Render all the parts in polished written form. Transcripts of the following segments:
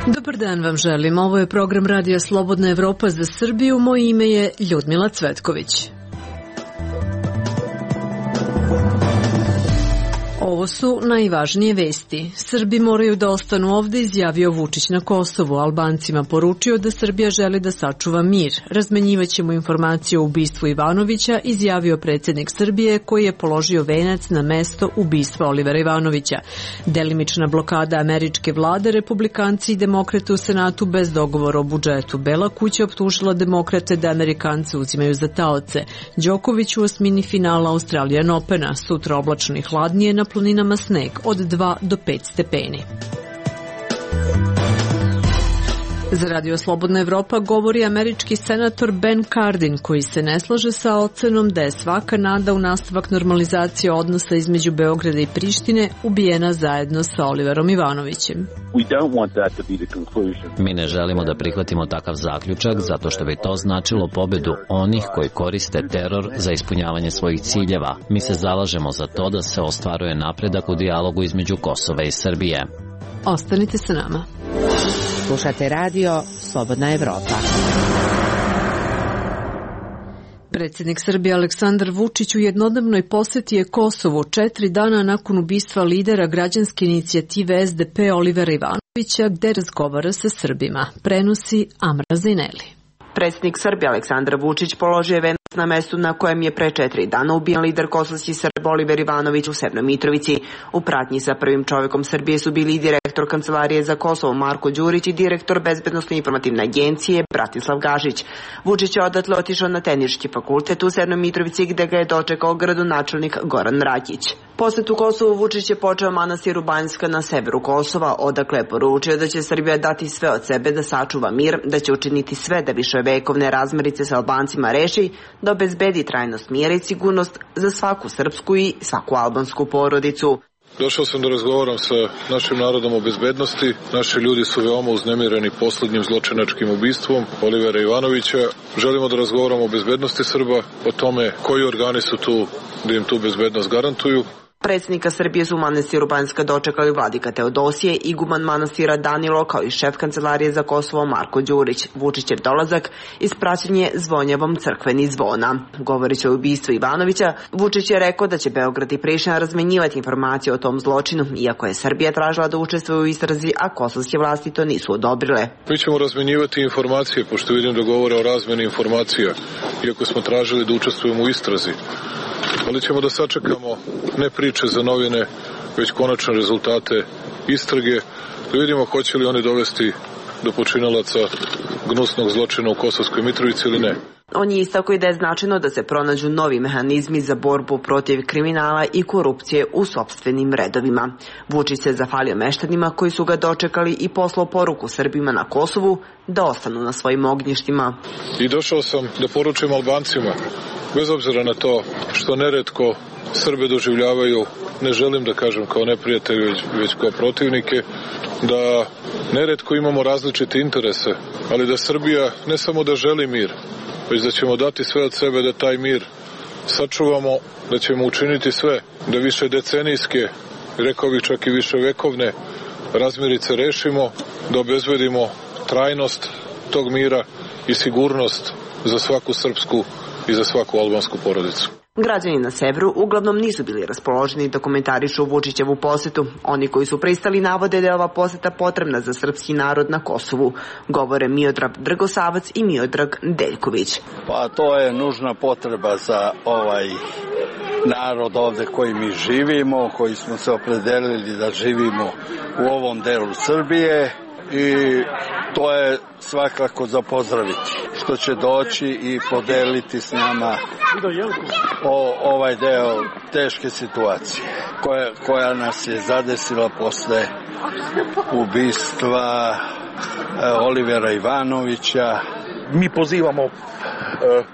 Dobar dan vam želim. Ovo je program Radija Slobodna Evropa za Srbiju. Moje ime je Ljudmila Cvetković. Ovo su najvažnije vesti. Srbi moraju da ostanu ovde, izjavio Vučić na Kosovu. Albancima poručio da Srbija želi da sačuva mir. Razmenjivaćemo informacije o ubistvu Ivanovića, izjavio predsjednik Srbije koji je položio venac na mesto ubistva Olivera Ivanovića. Delimična blokada američke vlade, republikanci i demokrate u Senatu bez dogovora o budžetu. Bela kuća optužila demokrate da Amerikance uzimaju za taoce. Đoković u osmini finala Australian Opena. Sutra oblačno i hladnije, na planinama sneg od 2 do 5 stepeni. Za Radio Slobodna Evropa govori američki senator Ben Cardin, koji se ne slaže sa ocenom da je svaka nada u nastavak normalizacije odnosa između Beograda i Prištine ubijena zajedno sa Oliverom Ivanovićem. Mi ne želimo da prihvatimo takav zaključak zato što bi to značilo pobedu onih koji koriste teror za ispunjavanje svojih ciljeva. Mi se zalažemo za to da se ostvaruje napredak u dijalogu između Kosova i Srbije. Ostanite sa nama. Slušate Radio Slobodna Evropa. Predsjednik Srbije Aleksandar Vučić u jednodnevnoj posjeti je Kosovu 4 dana nakon ubistva lidera građanske inicijative SDP Olivera Ivanovića, gde razgovara sa Srbima. Prenosi Amra Zineli. Predsjednik Srbije Aleksandar Vučić položio je venac na mestu na kojem je pre 4 dana ubijen lider kosovskih Srba Oliver Ivanović u Severnoj Mitrovici. U pratnji sa prvim čovjekom Srbije su bili i direktor Kancelarije za Kosovo Marko Đurić i direktor Bezbednosne informativne agencije Bratislav Gašić. Vučić je odatle otišao na Tehnički fakultet u Severnoj Mitrovici gde ga je dočekao gradonačelnik Goran Rakić. Posjetu Kosovu Vučić je počeo manastiru Banjska na severu Kosova, odakle je poručio da će Srbija dati sve od sebe da sačuva mir, da će učiniti sve da viševekovne razmirice sa Albancima reši, da obezbedi trajnost mira i sigurnost za svaku srpsku i svaku albansku porodicu. Došao sam da razgovaram sa našim narodom o bezbednosti. Naši ljudi su veoma uznemireni poslednjim zločinačkim ubistvom Olivera Ivanovića. Želimo da razgovaramo o bezbednosti Srba, o tome koji organi su tu da im tu bezbednost garantuju. Predsjednika Srbije su u manastiru Banjska dočekali vladika Teodosije, iguman manastira Danilo, kao i šef Kancelarije za Kosovo Marko Đurić. Vučićev dolazak ispraćen je zvonjavom crkveni zvona. Govoreći o ubistvu Ivanovića, Vučić je rekao da će Beograd i Priština razmenjivati informacije o tom zločinu, iako je Srbija tražila da učestvuje u istrazi, a kosovske vlasti to nisu odobrile. Mi ćemo razmenjivati informacije, pošto vidim da govore o razmeni informacija, iako smo tražili da učestvujemo u istrazi. Ali ćemo da sačekamo ne priče za novine, već konačne rezultate istrage, da vidimo hoće li oni dovesti do počinalaca gnusnog zločina u Kosovskoj Mitrovici ili ne. On je istakao i da je značajno da se pronađu novi mehanizmi za borbu protiv kriminala i korupcije u sopstvenim redovima. Vučić se zahvalio meštanima koji su ga dočekali i poslao poruku Srbima na Kosovu da ostanu na svojim ognjištima. I došao sam da poručim Albancima, bez obzira na to što neretko Srbe doživljavaju, ne želim da kažem kao neprijatelji, već kao protivnike, da neretko imamo različite interese, ali da Srbija ne samo da želi mir, već da ćemo dati sve od sebe da taj mir sačuvamo, da ćemo učiniti sve da više decenijske, rekao bih čak i više vekovne razmirice rešimo, da obezbedimo trajnost tog mira i sigurnost za svaku srpsku i za svaku albansku porodicu. Građani na severu uglavnom nisu bili raspoloženi da komentarišu Vučićevu posjetu. Oni koji su pristali navode da je ova posjeta potrebna za srpski narod na Kosovu. Govore Miodrag Dragosavac i Miodrag Deljković. Pa to je nužna potreba za ovaj narod ovde koji mi živimo, koji smo se opredelili da živimo u ovom delu Srbije. I to je svakako za pozdraviti, što će doći i podeliti s nama ovaj deo teške situacije koja nas je zadesila posle ubistva Olivera Ivanovića. Mi pozivamo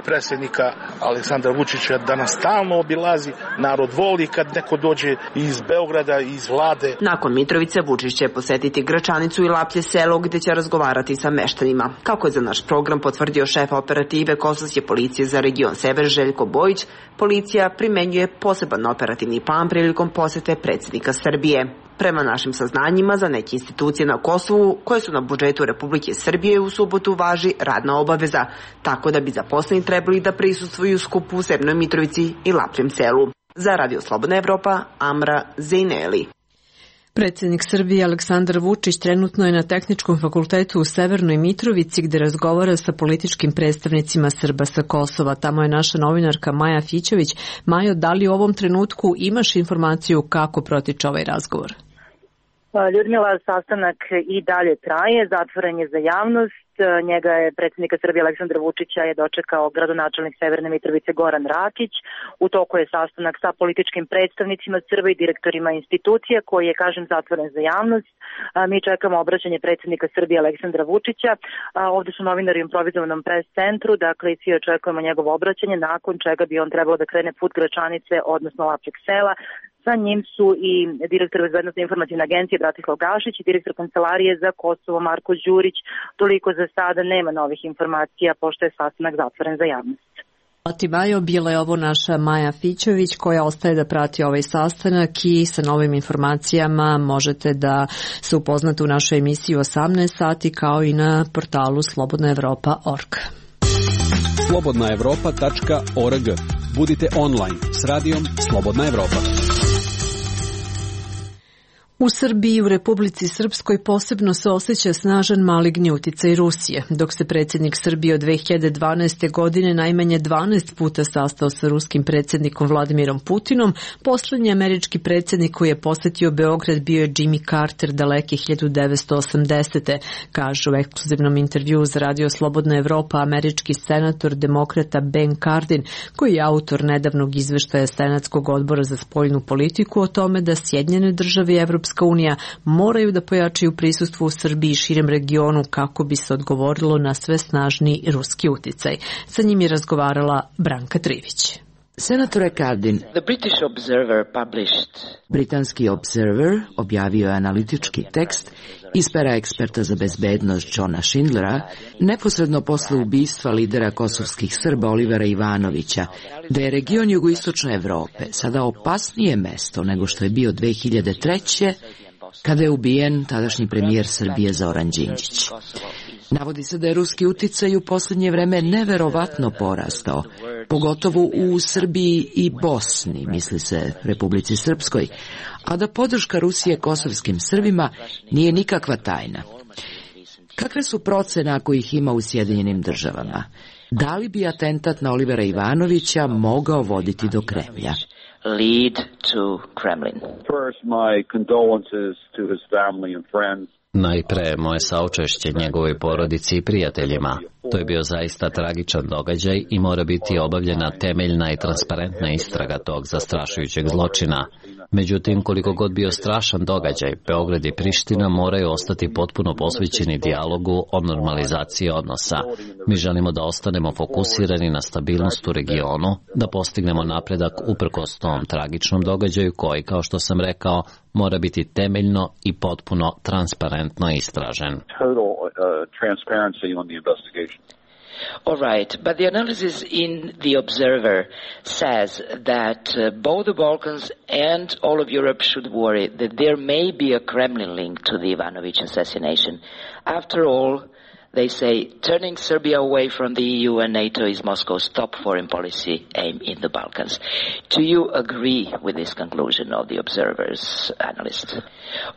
predsjednika Aleksandra Vučića da nas stalno obilazi, narod voli kad neko dođe iz Beograda, iz vlade. Nakon Mitrovice Vučić će posetiti Gračanicu i Laplje selo gdje će razgovarati sa meštanima. Kako je za naš program potvrdio šef operative Kosovske policije za region Sever Željko Bojić, policija primenjuje poseban operativni plan prilikom posete predsjednika Srbije. Prema našim saznanjima, za neke institucije na Kosovu, koje su na budžetu Republike Srbije, u subotu važi radna obaveza, tako da bi zaposleni trebali da prisustvuju skupu u Severnoj Mitrovici i Lapljem selu. Za Radio Slobodna Evropa, Amra Zejneli. Predsjednik Srbije Aleksandar Vučić trenutno je na Tehničkom fakultetu u Severnoj Mitrovici gde razgovara sa političkim predstavnicima Srba sa Kosova. Tamo je naša novinarka Maja Fićević. Majo, da li u ovom trenutku imaš informaciju kako protiče ovaj razgovor? Ljudmila, sastanak i dalje traje, zatvoren je za javnost. Njega je predsjednika Srbije Aleksandra Vučića je dočekao gradonačelnik Severne Mitrovice Goran Rakić. U toku je sastanak sa političkim predstavnicima Srba i direktorima institucija koji je, kažem, zatvoren za javnost. Mi čekamo obraćanje predsjednika Srbije Aleksandra Vučića. Ovde su novinari u improvizovanom pres centru, dakle svi očekujemo njegovo obraćanje, nakon čega bi on trebalo da krene put Gračanice, odnosno Lapčeg sela. Sa njim su i direktor Bezbednosne informativne agencije Bratislav Gašić i direktor Kancelarije za Kosovo Marko Đurić. Toliko za sada, nema novih informacija pošto je sastanak zatvoren za javnost. Majo, bila je ovo naša Maja Fićović koja ostaje da prati ovaj sastanak i sa novim informacijama možete da se upoznate u našoj emisiji u 18 sati kao i na portalu slobodnaevropa.org. slobodnaevropa.org. Budite online s radijom Slobodna Evropa. U Srbiji i u Republici Srpskoj posebno se osjeća snažan maligni uticaj Rusije. Dok se predsjednik Srbije od 2012. godine najmanje 12 puta sastao sa ruskim predsjednikom Vladimirom Putinom, poslednji američki predsjednik koji je posetio Beograd bio je Jimmy Carter daleke 1980. Kaže u ekskluzivnom intervjuu za Radio Slobodna Evropa američki senator demokrata Ben Cardin, koji je autor nedavnog izveštaja Senatskog odbora za spoljnu politiku o tome da Sjedinjene države i Evropska unija moraju da pojačaju prisustvo u Srbiji i širem regionu kako bi se odgovorilo na sve snažniji ruski uticaj. Sa njim je razgovarala Branka Trivić. Senatore Cardin, Britanski Observer objavio je analitički tekst iz pera eksperta za bezbednost Johna Schindlera neposredno posle ubistva lidera kosovskih Srba Olivera Ivanovića, da je region jugoistočne Evrope sada opasnije mesto nego što je bio 2003. kada je ubijen tadašnji premijer Srbije Zoran Đinđić. Navodi se da je ruski uticaj u posljednje vreme neverovatno porastao, pogotovo u Srbiji i Bosni, misli se Republici Srpskoj, a da podrška Rusije kosovskim Srbima nije nikakva tajna. Kakve su procene ako ih ima u Sjedinjenim državama? Da li bi atentat na Olivera Ivanovića mogao voditi do Kremlja? Lead to Kremlin. First, my condolences to his family and friends. Najpre moje saučešće njegovoj porodici i prijateljima. To je bio zaista tragičan događaj i mora biti obavljena temeljna i transparentna istraga tog zastrašujućeg zločina. Međutim, koliko god bio strašan događaj, Beograd i Priština moraju ostati potpuno posvećeni dijalogu o normalizaciji odnosa. Mi želimo da ostanemo fokusirani na stabilnost u regionu, da postignemo napredak uprkos tom tragičnom događaju koji, kao što sam rekao, mora biti temeljno i potpuno transparentno istražen. All right, but the analysis in The Observer says that both the Balkans and all of Europe should worry that there may be a Kremlin link to the Ivanović assassination. After all, they say turning Serbia away from the EU and NATO is Moscow's top foreign policy aim in the Balkans. Do you agree with this conclusion of The Observer's analyst?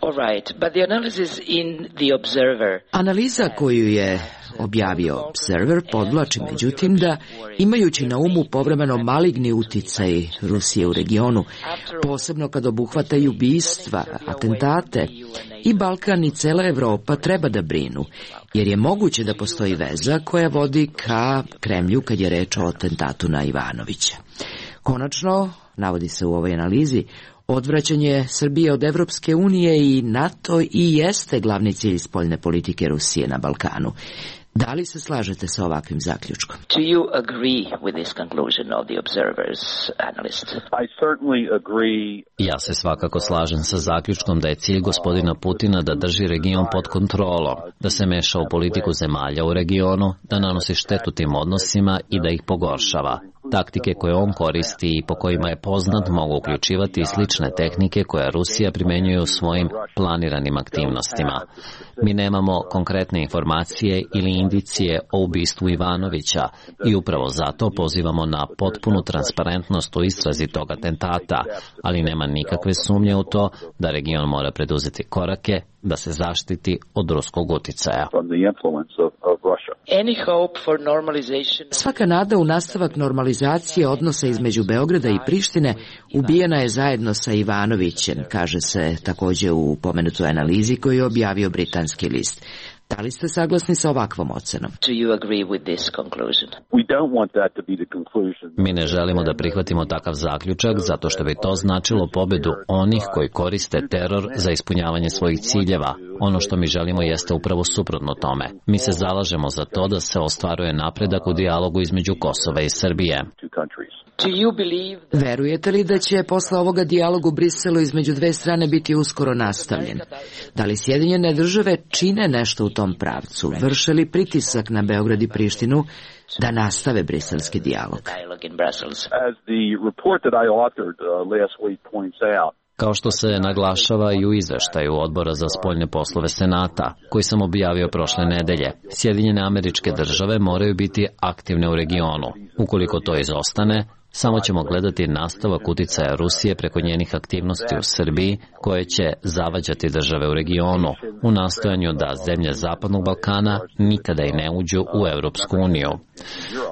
All right, but the analysis in The Observer... Analiza koju je objavio Observer podvlači međutim da, imajući na umu povremeno maligni uticaj Rusije u regionu, posebno kad obuhvataju ubistva, atentate, i Balkan i cela Evropa treba da brinu, jer je moguće da postoji veza koja vodi ka Kremlju kad je reč o atentatu na Ivanovića. Konačno, navodi se u ovoj analizi, odvraćanje Srbije od Evropske unije i NATO i jeste glavni cilj spoljne politike Rusije na Balkanu. Da li se slažete sa ovakvim zaključkom? Do you agree with this conclusion of The Observer's analyst? I certainly agree. Ja se svakako slažem sa zaključkom da je cilj gospodina Putina da drži region pod kontrolom, da se meša u politiku zemalja u regionu, da nanosi štetu tim odnosima i da ih pogoršava. Taktike koje on koristi i po kojima je poznat mogu uključivati slične tehnike koje Rusija primenjuje u svojim planiranim aktivnostima. Mi nemamo konkretne informacije ili indicije o ubistvu Ivanovića i upravo zato pozivamo na potpunu transparentnost u istrazi tog atentata, ali nema nikakve sumnje u to da region mora preduzeti korake da se zaštiti od ruskog uticaja. Svaka nada u nastavak normalizacije odnosa između Beograda i Prištine ubijena je zajedno sa Ivanovićem, kaže se takođe u pomenutoj analizi koju je objavio britanski list. Da li ste saglasni sa ovakvom ocenom? Mi ne želimo da prihvatimo takav zaključak zato što bi to značilo pobedu onih koji koriste teror za ispunjavanje svojih ciljeva. Ono što mi želimo jeste upravo suprotno tome. Mi se zalažemo za to da se ostvaruje napredak u dijalogu između Kosova i Srbije. Verujete li da će posle ovoga dijalog u Briselu između dve strane biti uskoro nastavljen? Da li Sjedinjene države čine nešto u tom pravcu? Vrše li pritisak na Beograd i Prištinu da nastave briselski dijalog? Kao što se naglašava i u izveštaju Odbora za spoljne poslove Senata, koji sam objavio prošle nedelje, Sjedinjene Američke Države moraju biti aktivne u regionu. Ukoliko to izostane, samo ćemo gledati nastavak uticaja Rusije preko njenih aktivnosti u Srbiji, koje će zavađati države u regionu, u nastojanju da zemlje Zapadnog Balkana nikada i ne uđu u Evropsku uniju.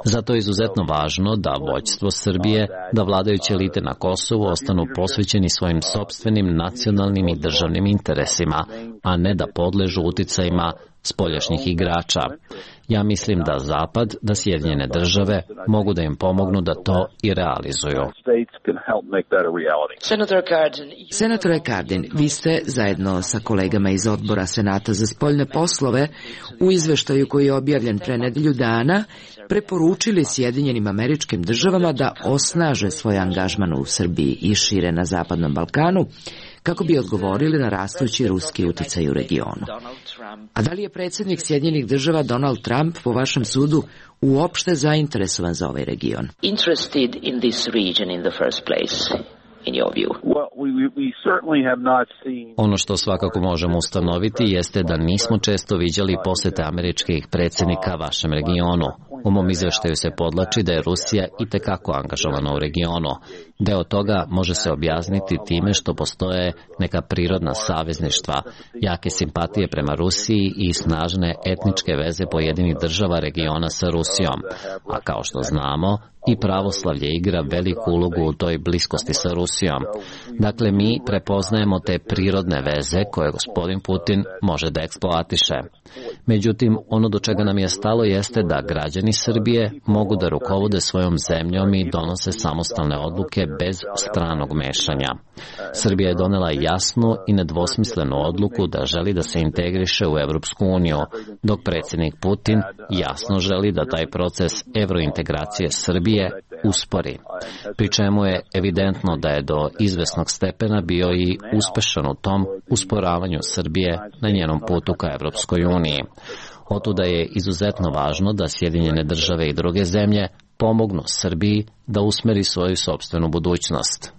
Zato je izuzetno važno da vođstvo Srbije, da vladajuće elite na Kosovu ostanu posvećeni svojim sopstvenim nacionalnim i državnim interesima, a ne da podležu uticajima spoljašnjih igrača. Ja mislim da Zapad, da Sjedinjene države mogu da im pomognu da to i realizuju. Senatore Cardin, vi ste zajedno sa kolegama iz Odbora Senata za spoljne poslove u izveštaju koji je objavljen pre nedelju dana preporučili Sjedinjenim Američkim Državama da osnaže svoj angažman u Srbiji i šire na Zapadnom Balkanu, kako bi odgovorili na rastući ruski uticaj u regionu. A da li je predsjednik Sjedinjenih Država Donald Trump, po vašem sudu, uopšte zainteresovan za ovaj region? Ono što svakako možemo ustanoviti jeste da nismo često viđali posete američkih predsjednika vašem regionu. U mom izveštaju se podlači da je Rusija itekako angažovana u regionu. Deo toga može se objasniti time što postoje neka prirodna savezništva, jake simpatije prema Rusiji i snažne etničke veze pojedinih država regiona sa Rusijom. A kao što znamo, i pravoslavlje igra veliku ulogu u toj bliskosti sa Rusijom. Dakle, mi prepoznajemo te prirodne veze koje gospodin Putin može da eksploatiše. Međutim, ono do čega nam je stalo jeste da građani Srbije mogu da rukovode svojom zemljom i donose samostalne odluke bez stranog mešanja. Srbija je donela jasnu i nedvosmislenu odluku da želi da se integriše u Evropsku uniju, dok predsjednik Putin jasno želi da taj proces evrointegracije Srbije uspori. Pri čemu je evidentno da je do izvesnog stepena bio i uspešan u tom usporavanju Srbije na njenom putu ka Evropskoj uniji. Otuda je izuzetno važno da Sjedinjene države i druge zemlje pomognu Srbiji da usmeri svoju sopstvenu budućnost.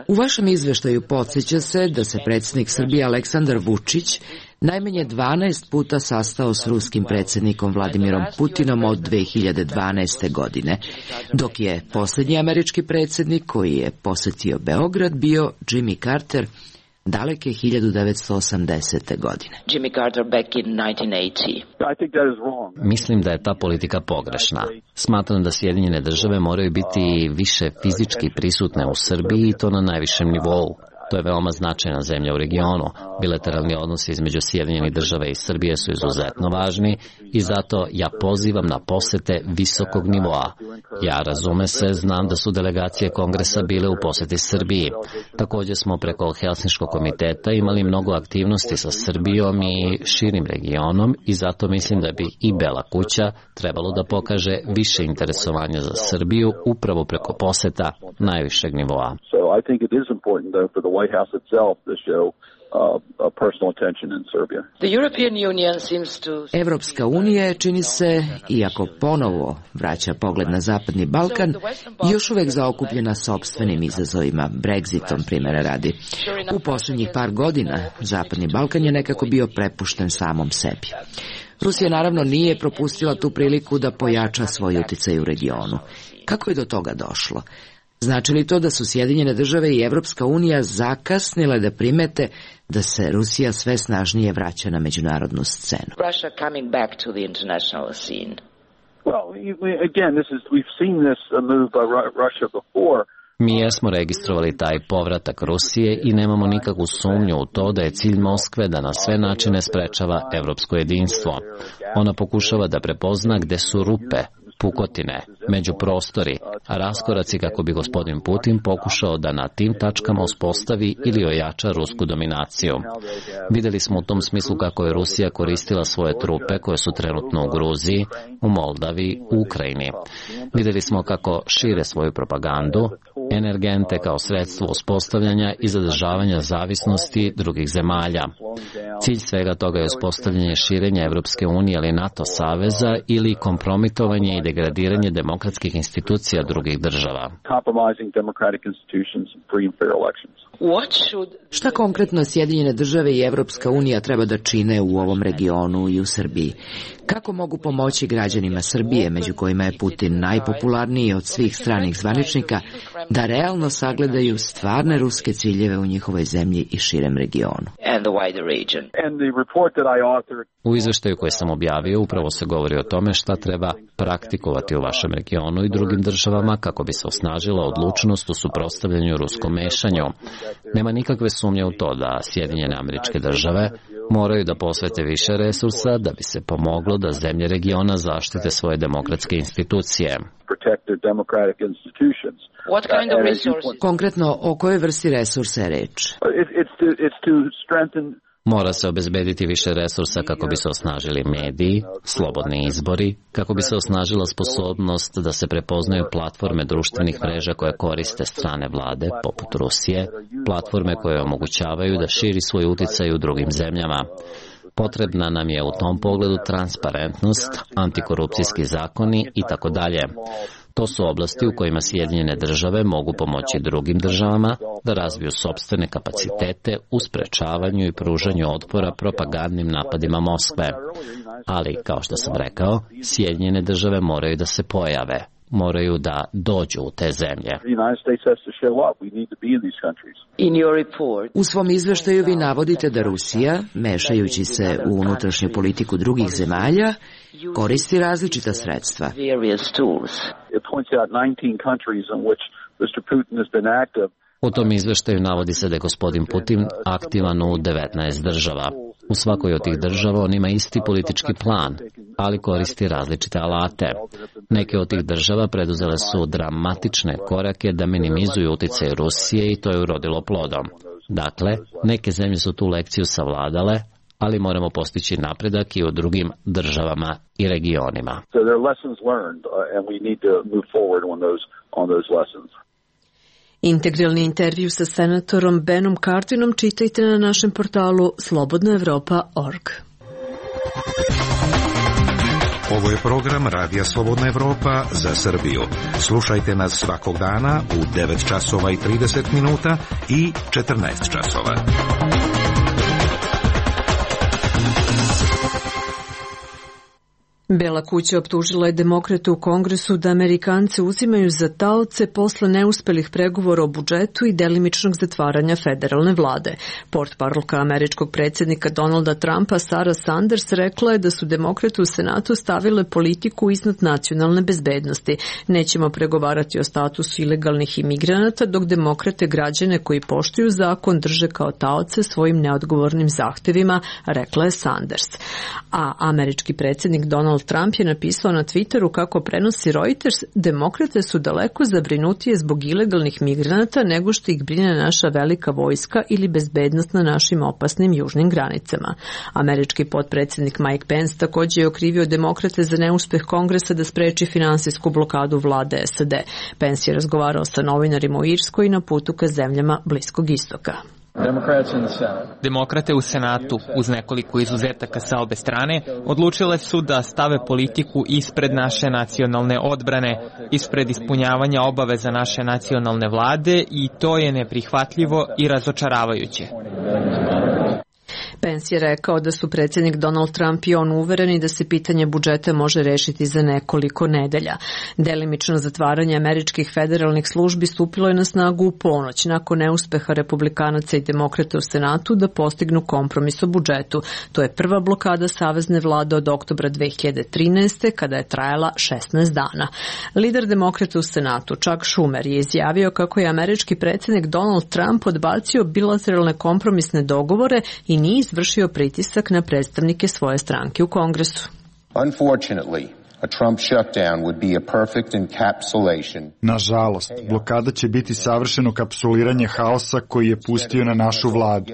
U vašem izveštaju podsjeća se da se predsjednik Srbije Aleksandar Vučić najmanje 12 puta sastao s ruskim predsjednikom Vladimirom Putinom od 2012. godine, dok je posljednji američki predsjednik koji je posetio Beograd bio Jimmy Carter daleke 1980. godine. Jimmy Carter back in 1980. Mislim da je ta politika pogrešna. Smatram da Sjedinjene države moraju biti više fizički prisutne u Srbiji i to na najvišem nivou. To je veoma značajna zemlja u regionu. Bilateralni odnosi između Sjedinjenih država i Srbije su izuzetno važni i zato ja pozivam na posete visokog nivoa. Ja, razume se, znam da su delegacije Kongresa bile u poseti Srbiji. Također smo preko Helsinškog komiteta imali mnogo aktivnosti sa Srbijom i širim regionom i zato mislim da bi i Bela kuća trebalo da pokaže više interesovanja za Srbiju upravo preko poseta najvišeg nivoa. important for the White House itself to show personal attention in Serbia. The European Union seems to... Evropska unija, čini se, iako ponovo vraća pogled na Zapadni Balkan, još uvek zaokupljena sopstvenim izazovima, Brexitom primjera radi. U posljednjih par godina Zapadni Balkan je nekako bio prepušten samom sebi. Rusija naravno nije propustila tu priliku da pojača svoj uticaj u regionu. Kako je do toga došlo? Znači li to da su Sjedinjene države i Evropska unija zakasnile da primete da se Rusija sve snažnije vraća na međunarodnu scenu? Russia coming back to the international scene. Well, again, we've seen this move by Russia before. Mi jesmo registrovali taj povratak Rusije i nemamo nikakvu sumnju u to da je cilj Moskve da na sve načine sprečava evropsko jedinstvo. Ona pokušava da prepozna gde su rupe, pukotine, međuprostori, a raskoraci kako bi gospodin Putin pokušao da na tim tačkama uspostavi ili ojača rusku dominaciju. Videli smo u tom smislu kako je Rusija koristila svoje trupe koje su trenutno u Gruziji, u Moldavi, u Ukrajini. Videli smo kako šire svoju propagandu, energente kao sredstvo uspostavljanja i zadržavanja zavisnosti drugih zemalja. Cilj svega toga je uspostavljanje širenja Evropske unije ili NATO saveza ili kompromitovanje i degradiranje demokratskih institucija drugih država. Šta konkretno Sjedinjene države i Evropska unija treba da čine u ovom regionu i u Srbiji? Kako mogu pomoći građanima Srbije, među kojima je Putin najpopularniji od svih stranih zvaničnika, da realno sagledaju stvarne ruske ciljeve u njihovoj zemlji i širem regionu? U izveštaju koji sam objavio upravo se govori o tome šta treba praktikovati u vašem regionu i drugim državama kako bi se osnažila odlučnost u suprotstavljanju ruskom mešanju. Nema nikakve sumnje u to da Sjedinjene Američke Države moraju da posvete više resursa da bi se pomoglo da zemlje regiona zaštite svoje demokratske institucije. Konkretno, o kojoj vrsti resursa je reč? Mora se obezbediti više resursa kako bi se osnažili mediji, slobodni izbori, kako bi se osnažila sposobnost da se prepoznaju platforme društvenih mreža koje koriste strane vlade, poput Rusije, platforme koje omogućavaju da širi svoj uticaj u drugim zemljama. Potrebna nam je u tom pogledu transparentnost, antikorupcijski zakoni i tako dalje. To su oblasti u kojima Sjedinjene države mogu pomoći drugim državama da razviju sopstvene kapacitete u sprečavanju i pružanju otpora propagandnim napadima Moskve. Ali, kao što sam rekao, Sjedinjene države moraju da se pojave, moraju da dođu u te zemlje. U svom izveštaju vi navodite da Rusija, mešajući se u unutrašnju politiku drugih zemalja, koristi različita sredstva. U tom izveštaju navodi se da je gospodin Putin aktivan u 19 država. U svakoj od tih država on ima isti politički plan, ali koristi različite alate. Neke od tih država preduzele su dramatične korake da minimizuju uticaj Rusije i to je urodilo plodom. Dakle, neke zemlje su tu lekciju savladale, ali moramo postići napredak i u drugim državama i regionima. Integralni intervju sa senatorom Benom Carthinom čitajte na našem portalu slobodnaevropa.org. Ovo je program Radija Slobodna Evropa za Srbiju. Slušajte nas svakog dana u 9 časova i 30 minuta i 14 časova. Bela kuća optužila je demokrate u Kongresu da Amerikance uzimaju za taoce posle neuspelih pregovora o budžetu i delimičnog zatvaranja federalne vlade. Portparolka američkog predsjednika Donalda Trumpa Sarah Sanders rekla je da su demokrate u Senatu stavile politiku iznad nacionalne bezbednosti. Nećemo pregovarati o statusu ilegalnih imigranata, dok demokrate građane koji poštuju zakon drže kao taoce svojim neodgovornim zahtevima, rekla je Sanders. A američki predsjednik Donald Donald Trump je napisao na Twitteru kako prenosi Reuters, demokrate su daleko zabrinutije zbog ilegalnih migranata nego što ih brine naša velika vojska ili bezbednost na našim opasnim južnim granicama. Američki potpredsjednik Mike Pence također je okrivio demokrate za neuspeh Kongresa da spreči finansijsku blokadu vlade SAD. Pence je razgovarao sa novinarima u Irskoj i na putu ka zemljama Bliskog istoka. Demokrate u Senatu, uz nekoliko izuzetaka sa obe strane, odlučile su da stave politiku ispred naše nacionalne odbrane, ispred ispunjavanja obaveza naše nacionalne vlade i to je neprihvatljivo i razočaravajuće. Pence je rekao da su predsjednik Donald Trump i on uvereni da se pitanje budžeta može rešiti za nekoliko nedelja. Delimično zatvaranje američkih federalnih službi stupilo je na snagu u ponoć nakon neuspeha republikanaca i demokrata u Senatu da postignu kompromis o budžetu. To je prva blokada savezne vlade od oktobra 2013. kada je trajala 16 dana. Lider demokrata u Senatu, Chuck Schumer, je izjavio kako je američki predsjednik Donald Trump odbacio bilateralne kompromisne dogovore i nije izvršio pritisak na predstavnike svoje stranke u Kongresu. Nažalost, blokada će biti savršeno kapsuliranje haosa koji je pustio na našu vladu.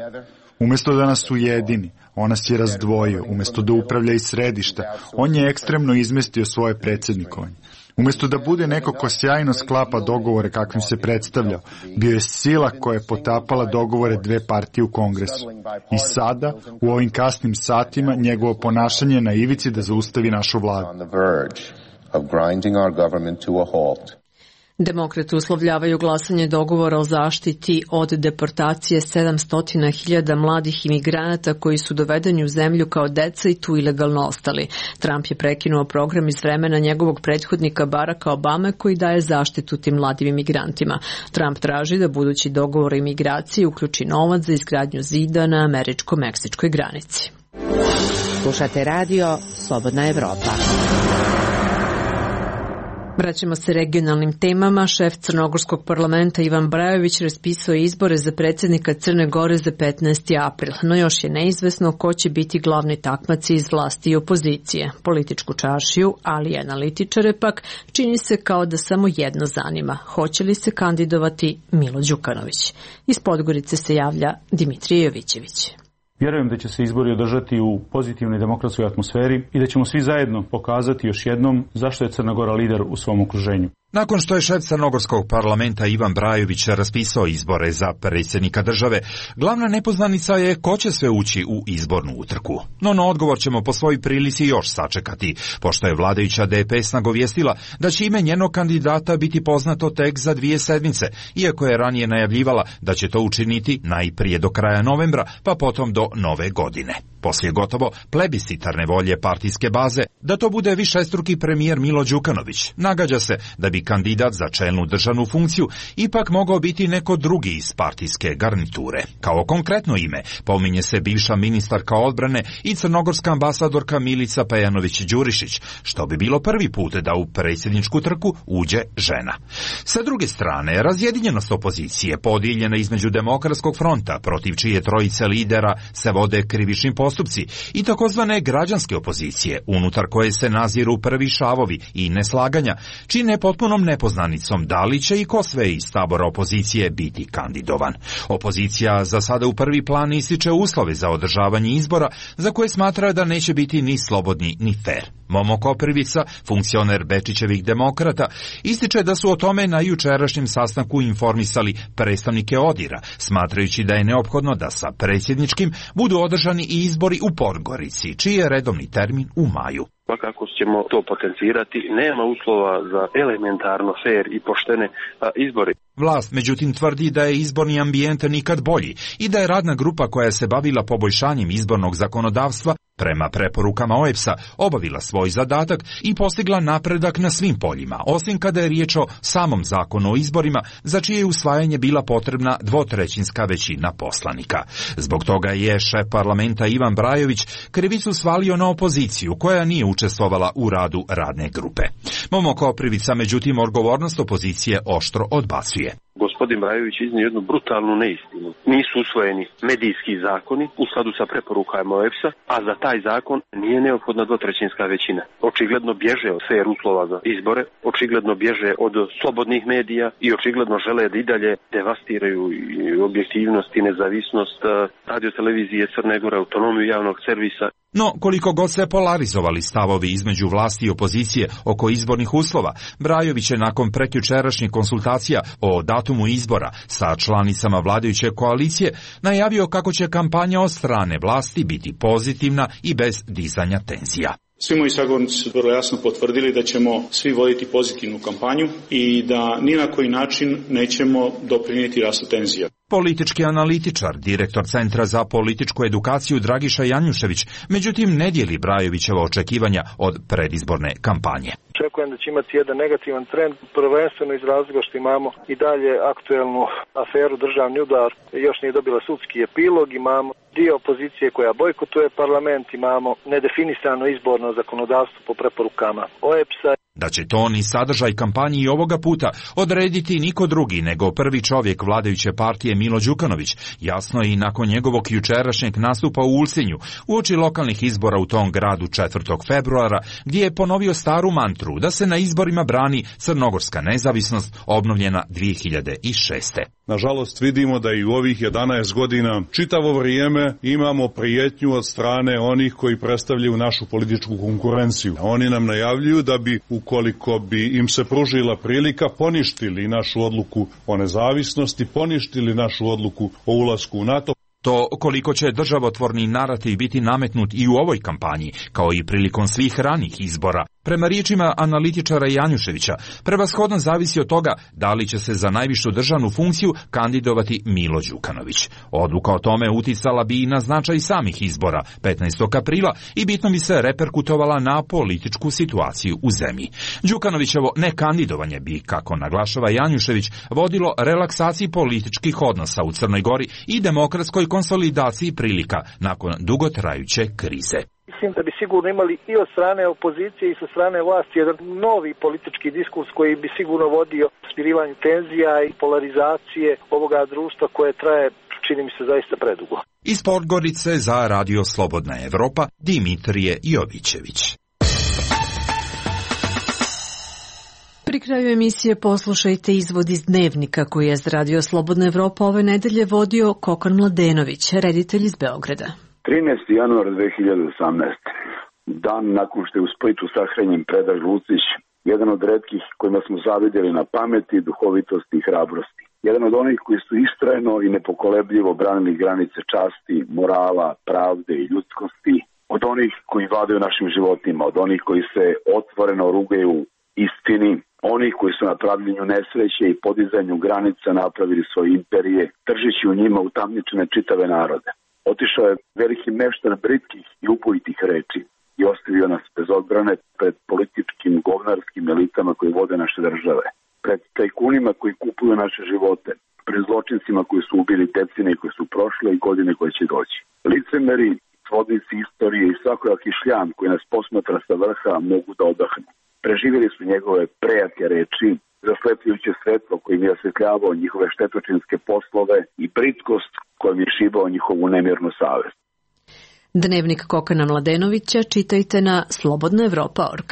Umjesto da nas ujedini, on nas je razdvojio. Umjesto da upravlja iz središta, on je ekstremno izmestio svoje predsjednikovanje. Umjesto da bude neko ko sjajno sklapa dogovore kakvim se predstavljao, bio je sila koja je potapala dogovore dve partije u Kongresu. I sada, u ovim kasnim satima, njegovo ponašanje je na ivici da zaustavi našu vladu. Demokrati uslovljavaju glasanje dogovora o zaštiti od deportacije 700.000 mladih imigranata koji su dovedeni u zemlju kao deca i tu ilegalno ostali. Trump je prekinuo program iz vremena njegovog prethodnika Baracka Obame koji daje zaštitu tim mladim imigrantima. Trump traži da budući dogovor o imigraciji uključi novac za izgradnju zida na američko-meksičkoj granici. Slušate radio Slobodna Evropa. Vraćamo se regionalnim temama. Šef Crnogorskog parlamenta Ivan Brajović raspisao izbore za predsjednika Crne Gore za 15. april, no još je neizvesno ko će biti glavni takmaci iz vlasti i opozicije. Političku čaršiju, ali i analitičare pak, čini se kao da samo jedno zanima. Hoće li se kandidovati Milo Đukanović? Iz Podgorice se javlja Dimitrije Jovićević. Vjerujem da će se izbori održati u pozitivnoj demokratskoj atmosferi i da ćemo svi zajedno pokazati još jednom zašto je Crna Gora lider u svom okruženju. Nakon što je šef Crnogorskog parlamenta Ivan Brajović raspisao izbore za predsjednika države, glavna nepoznanica je ko će sve ući u izbornu utrku. No na odgovor ćemo po svojoj prilici još sačekati, pošto je vladajuća DPS nagovijestila da će ime njenog kandidata biti poznato tek za 2 sedmice, iako je ranije najavljivala da će to učiniti najprije do kraja novembra, pa potom do nove godine. Poslije gotovo plebiscitarne volje partijske baze da to bude višestruki premijer Milo Đukanović, nagađa se da bi kandidat za čelnu državnu funkciju ipak mogao biti neko drugi iz partijske garniture. Kao konkretno ime pominje se bivša ministarka odbrane i crnogorska ambasadorka Milica Pejanović-Đurišić, što bi bilo prvi put da u predsjedničku trku uđe žena. Sa druge strane, razjedinjenost opozicije podijeljena između Demokratskog fronta, protiv čije trojice lidera se vode krivični postupci, i takozvane građanske opozicije, unutar koje se naziru prvi šavovi i neslaganja, čine potpunom nepoznanicom da li će i ko sve iz tabora opozicije biti kandidovan. Opozicija za sada u prvi plan ističe uslove za održavanje izbora, za koje smatra da neće biti ni slobodni ni fer. Momo Koprivica, funkcioner Bečićevih demokrata, ističe da su o tome na jučerašnjem sastanku informisali predstavnike ODIR-a, smatrajući da je neophodno da sa predsjedničkim budu održani i izbori u Podgorici, čiji je redovni termin u maju. Kako ćemo to potencirati, nema uslova za elementarno fer i poštene izbore. Vlast, međutim, tvrdi da je izborni ambijent nikad bolji i da je radna grupa koja se bavila poboljšanjem izbornog zakonodavstva prema preporukama OEBS-a obavila svoj zadatak i postigla napredak na svim poljima, osim kada je riječ o samom zakonu o izborima, za čije je usvajanje bila potrebna 2/3 većina poslanika. Zbog toga je šef parlamenta Ivan Brajović krivicu svalio na opoziciju, koja nije učestvovala u radu radne grupe. Momo Koprivica, međutim, odgovornost opozicije oštro odbacuje. gospodin Brajović iznio jednu brutalnu neistinu. Nisu usvojeni medijski zakoni u skladu sa preporukama OEBS-a, a za taj zakon nije neophodna dvotrećinska većina. Očigledno bježe od fer uslova za izbore, očigledno bježe od slobodnih medija i očigledno žele da i dalje devastiraju objektivnost i nezavisnost radiotelevizije Crne Gore, autonomiju javnog servisa. No, koliko god se polarizovali stavovi između vlasti i opozicije oko izbornih uslova, Brajović je nakon prekjučerašnjih konsultacija o datumu izbora sa članicama vladajuće koalicije najavio kako će kampanja od strane vlasti biti pozitivna i bez dizanja tenzija. Svi moji sagovornici su vrlo jasno potvrdili da ćemo svi voditi pozitivnu kampanju i da ni na koji način nećemo doprinijeti rastu tenzija. Politički analitičar, direktor Centra za političku edukaciju Dragiša Janjušević, međutim ne dijeli Brajovićeva očekivanja od predizborne kampanje. Očekujem da će imati jedan negativan trend, prvenstveno iz razloga što imamo i dalje aktuelnu aferu državni udar, još nije dobila sudski epilog, imamo dio opozicije koja bojkotuje parlament, imamo nedefinisano izborno zakonodavstvo po preporukama OEBS-a. Da će ton i sadržaj kampanji i ovoga puta odrediti niko drugi nego prvi čovjek vladajuće partije Milo Đukanović, jasno je i nakon njegovog jučerašnjeg nastupa u Ulcinju, uoči lokalnih izbora u tom gradu 4. februara, gdje je ponovio staru mantru da se na izborima brani crnogorska nezavisnost obnovljena 2006. Nažalost vidimo da i u ovih 11 godina čitavo vrijeme imamo prijetnju od strane onih koji predstavljaju našu političku konkurenciju. Oni nam najavljuju da bi, ukoliko bi im se pružila prilika, poništili našu odluku o nezavisnosti, poništili našu odluku o ulasku u NATO. To koliko će državotvorni narativ biti nametnut i u ovoj kampanji, kao i prilikom svih ranih izbora, prema riječima analitičara Janjuševića, prevashodno zavisi od toga da li će se za najvišu državnu funkciju kandidovati Milo Đukanović. Odluka o tome uticala bi i na značaj samih izbora 15. aprila i bitno bi se reperkutovala na političku situaciju u zemlji. Đukanovićevo nekandidovanje bi, kako naglašava Janjušević, vodilo relaksaciji političkih odnosa u Crnoj Gori i demokratskoj konsolidaciji prilika nakon dugotrajuće krize. Mislim da bi sigurno imali i od strane opozicije i sa strane vlasti jedan novi politički diskurs koji bi sigurno vodio smirivanju tenzija i polarizacije ovoga društva koje traje, čini mi se, zaista predugo. Iz Podgorice za Radio Slobodna Evropa, Dimitrije Jovićević. Pri kraju emisije poslušajte izvod iz Dnevnika koji je za Radio Slobodna Evropa ove nedelje vodio Kokan Mladenović, reditelj iz Beograda. 13. januar 2018. Dan nakon što je u Splitu sahranjen Predrag Lucić, jedan od retkih kojima smo zavidjeli na pameti, duhovitosti i hrabrosti. Jedan od onih koji su istrajno i nepokolebljivo branili granice časti, morala, pravde i ljudskosti, od onih koji vladaju našim životima, od onih koji se otvoreno rugaju istini, onih koji su na pravljenju nesreće i podizanju granica napravili svoje imperije, držeći u njima utamničene čitave narode. Otišao je veliki meštar britkih i upojitih reči i ostavio nas bez odbrane pred političkim govnarskim elitama koji vode naše države, pred tajkunima koji kupuju naše živote, pred zločincima koji su ubili decenije koje su prošle i godine koje će doći. Licemeri, svodnici istorije i svakojaki šljam koji nas posmatra sa vrha mogu da odahnu. Preživjeli su njegove prejake reči, zaslepljujuće svetlo kojim je osvetljavao njihove štetočinske poslove i britkost kojim je šibao njihovu nemirnu savest. Dnevnik Kokana Mladenovića čitajte na slobodnaevropa.org.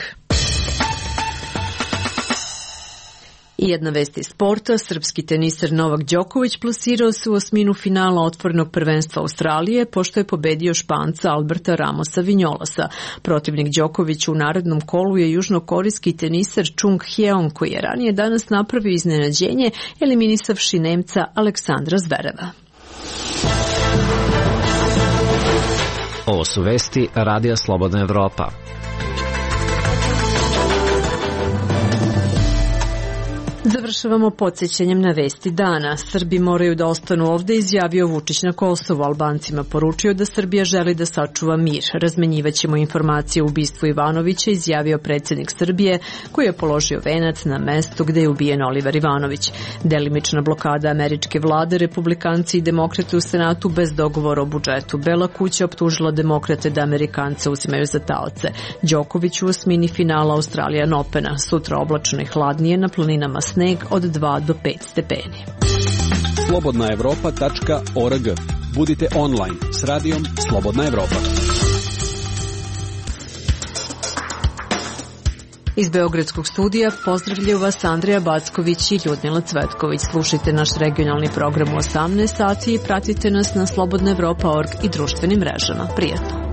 I jedna vest iz sporta, srpski teniser Novak Đoković plasirao se u osminu finala otvorenog prvenstva Australije, pošto je pobedio Španca Alberta Ramosa Vinjolasa. Protivnik Đokovića u narednom kolu je južnokorejski teniser Chung Hyeon, koji je ranije danas napravio iznenađenje, eliminisavši Nemca Aleksandra Zvereva. Ovo su vesti Radija Slobodna Evropa. Završavamo podsjećanjem na vesti dana. Srbi moraju da ostanu ovde, izjavio Vučić na Kosovu. Albancima poručio da Srbija želi da sačuva mir. Razmenjivaćemo informacije o ubistvu Ivanovića, izjavio predsjednik Srbije, koji je položio venac na mestu gde je ubijen Oliver Ivanović. Delimična blokada američke vlade, republikanci i demokrate u Senatu bez dogovora o budžetu. Bela kuća optužila demokrate da Amerikance uzimaju za taoce. Đoković u osmini finala Australijan Opena. Sutra oblačno i hladnije, na planinama sneg, od 2 do 5 stepeni. slobodnaevropa.org. Budite online s radijom Slobodna Evropa. Iz Beogradskog studija pozdravljaju vas Andreja Backović i Ljudmila Cvetković. Slušajte naš regionalni program u 18 sati i pratite nas na slobodnaevropa.org i društvenim mrežama. Prijatno!